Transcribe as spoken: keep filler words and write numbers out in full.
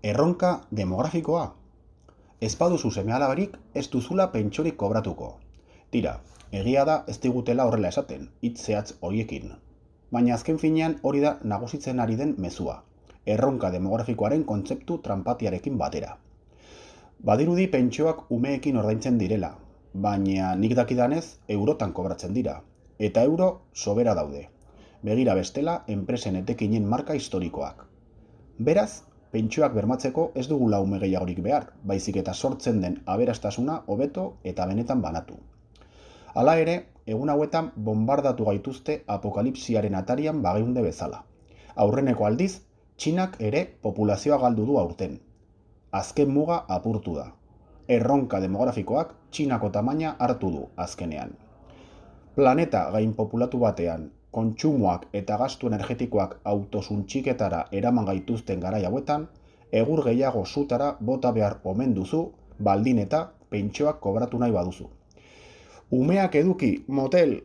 Erronka demografikoa. Ez baduzu seme-alabarik, ez duzula pentsiorik kobratuko. Tira, egia da ez digutela horrela esaten, hitz zehatz horiekin. Baina azken finean hori da nagusitzen ari den mezua. Erronka demografikoaren kontzeptu tranpatiarekin batera. Badirudi pentsioak umeekin ordaintzen direla, baina nik dakidanez eurotan kobratzen dira, eta euro sobera daude. Begira bestela enpresen etekinen marka historikoak. Beraz, pentsioak bermatzeko ez dugula ume gehiagorik behar, baizik eta sortzen den aberastasuna hobeto eta benetan banatu. Hala ere, egun hauetan bombardatu gaituzte apokalipsiaren atarian bageunde bezala. Aurreneko aldiz, Txinak ere populazioa galdu du aurten. Azken muga apurtu da. Erronka demografikoak Txinako tamaina hartu du azkenean. Planeta gainpopulatu batean, kontsumoak eta gastu energetikoak autosuntxiketara eraman gaituzten garai hauetan, egur gehiago sutara bota behar omen duzu, baldin eta pentsioak kobratu nahi baduzu. Umeak eduki, motel!